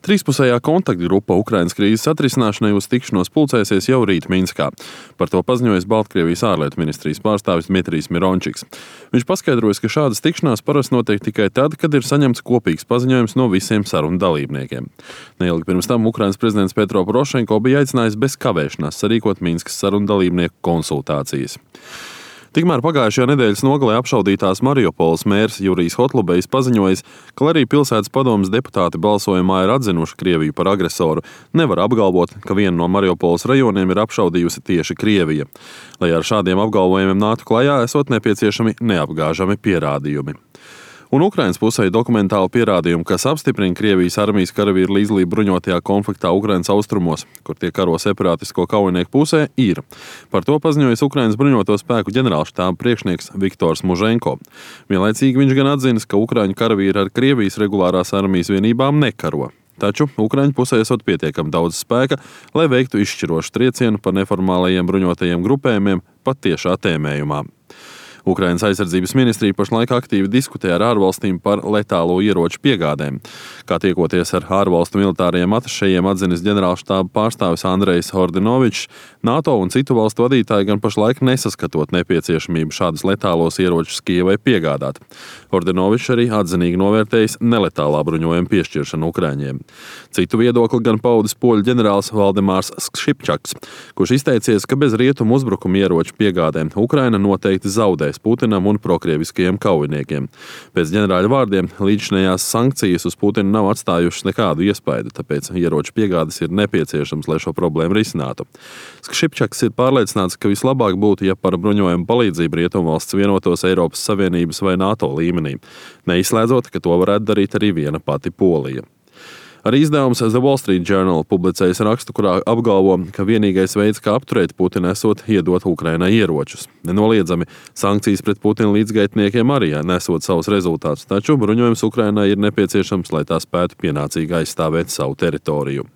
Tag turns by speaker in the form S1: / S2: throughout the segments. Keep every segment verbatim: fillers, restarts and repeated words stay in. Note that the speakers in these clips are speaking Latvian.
S1: Trīspusējā kontaktgrupa Ukrainas krīzes atrisināšanai uz tikšanos pulcēsies jau rīt Minskā. Par to paziņojis Baltkrievijas ārlietu ministrijas pārstāvis Dmitrijs Mirončiks. Viņš paskaidroja, ka šādas tikšanās parasti notiek tikai tad, kad ir saņemts kopīgs paziņojums no visiem sarunu dalībniekiem. Neilgi pirms tam Ukrainas prezidents Petro Porošenko bija aicinājis bez kavēšanās sarīkot Minskas sarunu dalībnieku konsultācijas. Tikmēr pagājušajā nedēļas nogalē apšaudītās Mariupoles mērs Jurijs Hotlubejs paziņojis, ka arī pilsētas padomes deputāti balsojumā ir atzinuši Krieviju par agresoru, nevar apgalvot, ka vienu no Mariupoles rajoniem ir apšaudījusi tieši Krievija. Lai ar šādiem apgalvojumiem nāktu klajā, esot nepieciešami neapgāžami pierādījumi. Un Ukrainas pusē dokumentāli pierādījumi, kas apstiprina Krievijas armijas karavīru līdzdalību bruņotajā konfliktā Ukrainas austrumos, kur tie karo separātisko kaujinieku pusē, ir. Par to paziņojis Ukrainas bruņoto spēku ģenerālštāba priekšnieks Viktors Muženko. Vienlaicīgi viņš gan atzinis, ka ukraiņu karavīri ar Krievijas regulārās armijas vienībām nekaro. Taču Ukraiņu pusē esot pietiekami daudz spēka, lai veiktu izšķirošu triecienu par neformālajiem bruņotajiem grupējumiem pat tiešā tēmējumā. Ukrainas aizsardzības ministrija pašlaik aktīvi diskutē ar ārvalstīm par letālo ieroču piegādēm. Kā tiekoties ar ārvalstu militāriem atašejiem atzinis ģenerālštāba pārstāvis Andrejs Hordinovičs, NATO un citu valstu vadītāji gan pašlaik nesaskatot nepieciešamību šādus letālos ieročus Kijevai piegādāt. Hordinovičs arī atzinīgi novērtējis neletālā bruņojuma piešķiršanu Ukraiņiem. Citu viedokli gan paudis poļu ģenerālis Valdemārs Šipčaks, kurš izteicies, ka bez rietumu uzbrukuma ieroču piegādēm Ukraina noteikti zaudē Putinam un prokrieviskajiem kaujiniekiem. Pēc ģenerāļa vārdiem līdzinējās sankcijas uz Putinu nav atstājušas nekādu iespaidu, tāpēc ieroču piegādes ir nepieciešams, lai šo problēmu risinātu. Šipčaks ir pārliecināts, ka vislabāk būtu, ja par bruņojumu palīdzību rietumvalsts vienotos Eiropas Savienības vai NATO līmenī, neizslēdzot, ka to varētu darīt arī viena pati Polija. Arī izdevums The Wall Street Journal publicējas rakstu, kurā apgalvo, ka vienīgais veids, kā apturēt Putinu, esot iedot Ukrainai ieročus. Nenoliedzami, sankcijas pret Putinu līdzgaitniekiem arī nesot savus rezultātus, taču bruņojums Ukrainai ir nepieciešams, lai tā spētu pienācīgi aizstāvēt savu teritoriju.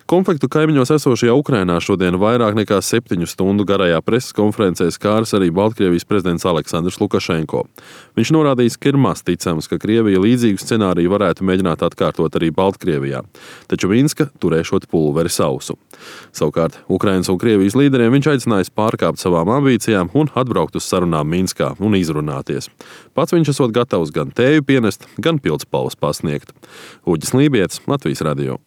S1: Konfliktu kaimiņos esošajā Ukrainā šodien vairāk nekā septiņu stundu garajā preses konferencē skāris arī Baltkrievijas prezidents Aleksandrs Lukašenko. Viņš norādījis, ka ir maz ticams, ka Krievija līdzīgu scenāriju varētu mēģināt atkārtot arī Baltkrievijā, taču Minska turēšot pulveri sausu. Savukārt Ukrainas un Krievijas līderiem viņš aicinājis pārkāpt savām ambīcijām un atbraukt uz sarunām Minskā un izrunāties. Pats viņš esot gatavs gan tēju pienest, gan pildspalvas pasniegt. Uģis Lībietis, Latvijas radio.